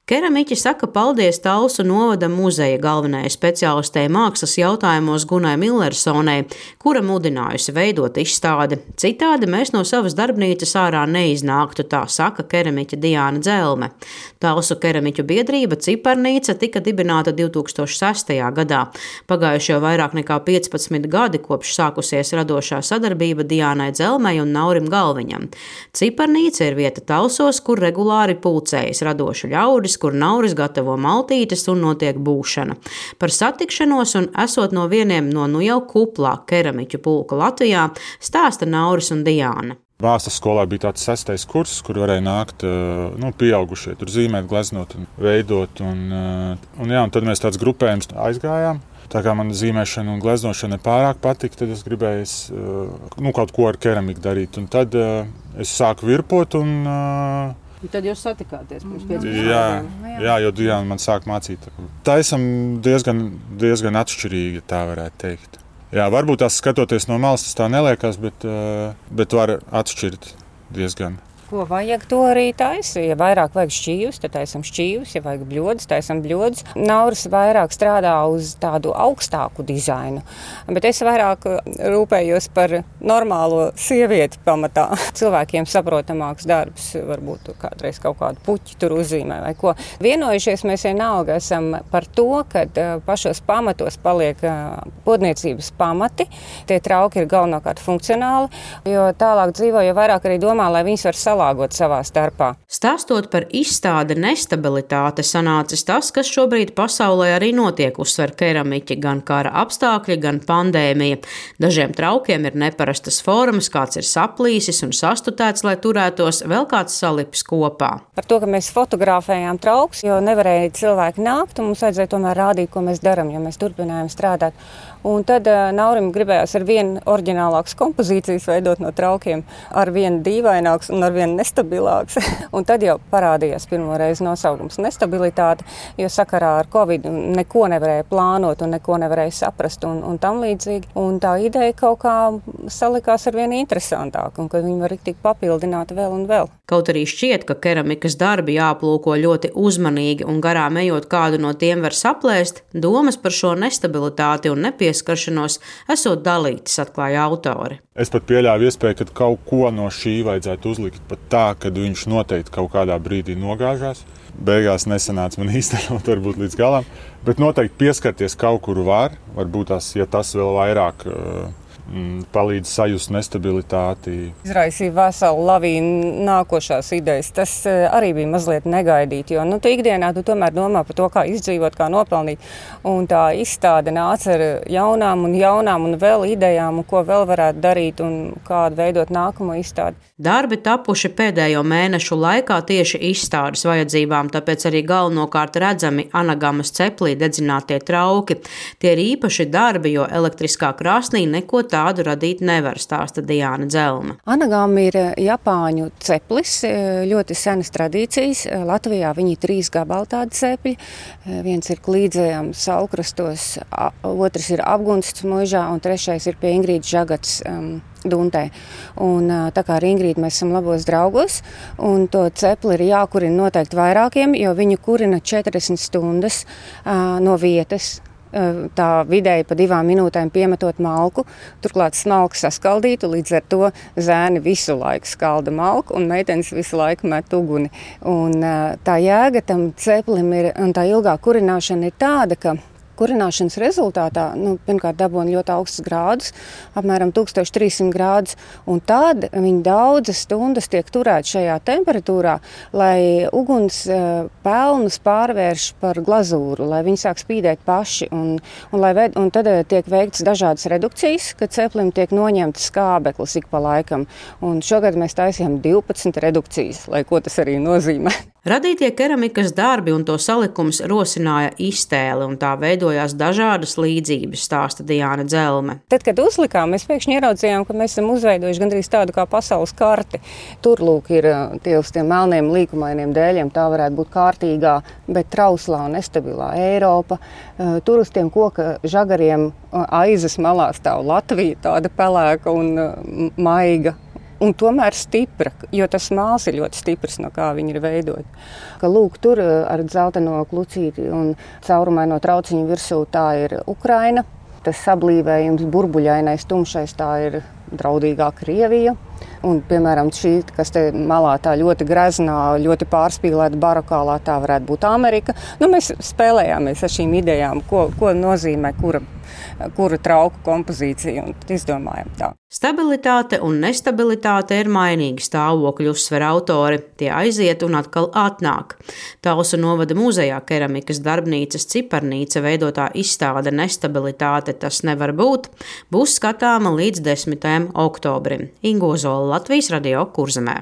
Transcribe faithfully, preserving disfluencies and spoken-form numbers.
Keramiķi saka paldies Talsu novada muzeja galvenajai speciālistei mākslas jautājumos Gunai Millersonei, kura mudinājusi veidot izstādi. Citādi mēs no savas darbnīcas ārā neiznāktu, tā saka keramiķe Diāna Dzelme. Talsu keramiķu biedrība Ciparnīca tika dibināta divi tūkstoši sestajā gadā. Pagājuši jau vairāk nekā piecpadsmit gadi, kopš sākusies radošā sadarbība Diānai Dzelmei un Naurim Galviņam. Ciparnīca ir vieta Talsos, kur regulāri pulcējas radoši ļaudis, kur Nauris gatavo maltītes un notiek būšana. Par satikšanos un esot no vieniem no nu jau kuplā keramiķu pulka Latvijā stāsta Nauris un Diāna. Mākslas skolā bija tāds sestais kurs, kur varēja nākt nu, pieaugušie, tur zīmēt, gleznot un veidot. Un, un, jā, un tad mēs tāds grupējums aizgājām. Tā kā man zīmēšana un gleznošana pārāk patika, tad es gribēju nu, kaut ko ar keramiku darīt. Un tad es sāku virpot un... Un tad jūs satikāties pirms piecpadsmit jā, jā, jo Diāna man sāk mācīt. Tā esam diezgan, diezgan atšķirīgi, tā varētu teikt. Jā, varbūt tās skatoties no malas, tas tā neliekas, bet, bet var atšķirt diezgan. Ko vajag, to arī taisa. Ja vairāk vajag šķīvus, tad taisam šķīvus, ja vajag bļodus, taisam bļodus. Nauris vairāk strādā uz tādu augstāku dizainu, bet es vairāk rūpējos par normālo sievieti pamatā. Cilvēkiem saprotamāks darbs, varbūt kādreiz kaut kādu puķi tur uzzīmē vai ko. Vienojušies mēs vienalga esam par to, ka pašos pamatos paliek podniecības pamati. Tie trauki ir galvenokārt funkcionāli, jo tālāk dzīvo, jo vairāk arī domā, lai viņas var salāgot savā starpā. Stāstot par izstādi nestabilitāte, sanācis tas, kas šobrīd pasaulē arī notiek, uzsver keramiķi, gan kara apstākļi, gan pandēmija. Dažiem traukiem ir neparastas formas, kāds ir saplīsis un sastutēts, lai turētos, vēl kāds salipis kopā. Par to, ka mēs fotografējām trauks, jo nevarēja cilvēki nākt, un mums vajadzēja tomēr rādīt, ko mēs daram, jo mēs turpinājām strādāt. Un tad uh, Naurim gribējās ar vienu oriģinālākas kompozīcijas veidot no traukiem, ar vienu dīvaināks un ar vienu nestabilāks. Un tad jau parādījās pirmo reizi nosaukums nestabilitāte, jo sakarā ar Covid neko nevarēja plānot un neko nevarēja saprast un, un tam līdzīgi. Un tā ideja kaut kā salikās ar vienu interesantāku, un ka viņi var tik papildināt vēl un vēl. Kaut arī šķiet, ka keramikas darbi jāplūko ļoti uzmanīgi un garām ejot kādu no tiem var saplēst, domas par šo nestabilitāti un nepieskaršanos esot dalītas, atklāja autori. Es pat pieļāvu iespēju, ka kaut ko no šī vajadzētu uzlikt pat tā, ka viņš noteikti kaut kādā brīdī nogāžās. Beigās nesanāca man īstenot varbūt līdz galam, bet noteikti pieskarties kaut kuru var, varbūt tas, ja tas vēl vairāk palīdz sajust nestabilitāti. Izraisīja veselu lavīnu nākošās idejas. Tas arī bija mazliet negaidīti, jo nu, tu ikdienā tu tomēr domā par to, kā izdzīvot, kā nopelnīt. Un tā izstāde nāca ar jaunām un jaunām un vēl idejām, un ko vēl varētu darīt un kādu veidot nākamo izstādi. Darbi tapuši pēdējo mēnešu laikā tieši izstādes vajadzībām, tāpēc arī galvenokārt redzami Anagamas ceplī dedzinātie trauki. Tie ir īpaši darbi, jo elektriskā krāsnī neko tādu radīt nevar, stāsta Diāna Dzelme. Anagama ir Japāņu ceplis, ļoti senas tradīcijas. Latvijā viņi ir trīs gabali tādi cepļi. Viens ir Klīdzējām Saulkrastos, otrs ir Apgunsts Muižā un trešais ir pie Ingrīdas Žagats um, Duntē. Un tā kā ar Ingrīdu mēs esam labos draugos, un to cepli ir jākurina noteikti vairākiem, jo viņu kurina četrdesmit stundas uh, no vietas. Tā vidēji pa divām minūtēm piemetot malku, turklāt smalku saskaldītu, līdz ar to zēni visu laiku skalda malku un meitenes visu laiku met uguni. Un tā jēga tam ceplim ir, un tā ilgā kurināšana ir tāda, ka kurināšanas rezultātā, nu, pirmkārt dabūna ļoti augstus grādus, apmēram tūkstoš trīs simt grādus, un tad viņi daudzas stundas tiek turēt šajā temperatūrā, lai uguns pelnus pārvērš par glazūru, lai viņi sāk spīdēt paši, un, un, lai ved, un tad tiek veikts dažādas redukcijas, kad ceplim tiek noņemts skābeklis ik pa laikam, un šogad mēs taisījām divpadsmit redukcijas, lai ko tas arī nozīmē. Radītie keramikas darbi un to salikums rosināja iztēli, un tā veidojās dažādas līdzības, stāsta Diāna Dzelme. Tad, kad uzlikām, mēs pēkšņi ieraudzījām, ka mēs esam uzveidojuši gandrīz tādu kā pasaules karti. Tur, lūk, ir tie uz tiem melniem līkumainiem dēļiem, tā varētu būt kārtīgā, bet trauslā un nestabilā Eiropa. Tur uz tiem koka žagariem aizas malā stāv Latvija, tāda pelēka un maiga. un tomēr stipra, jo tas māls ir ļoti stiprs, no kā viņi ir veidoti. Ka, lūk, tur ar dzelteno klucīti un caurumaino trauciņu virsū tā ir Ukraina. Tas sablīvējums burbuļainais, tumšais, tā ir draudīgā Krievija. Un, piemēram, šī, kas te malā tā ļoti greznā, ļoti pārspīlēta barokālā, tā varētu būt Amerika. Nu, mēs spēlējāmies ar šīm idejām, ko, ko nozīmē kura, kura trauku kompozīcija, un izdomājam tā. Stabilitāte un nestabilitāte ir mainīgi stāvokļi, uzsver autori. Tie aiziet un atkal atnāk. Talsu novada muzejā keramikas darbnīcas ciparnīca veidotā izstāde Nestabilitāte tas nevar būt, būs skatāma līdz desmitajam oktobrim. Ingo Zola, Latvijas Radio, Kurzemē.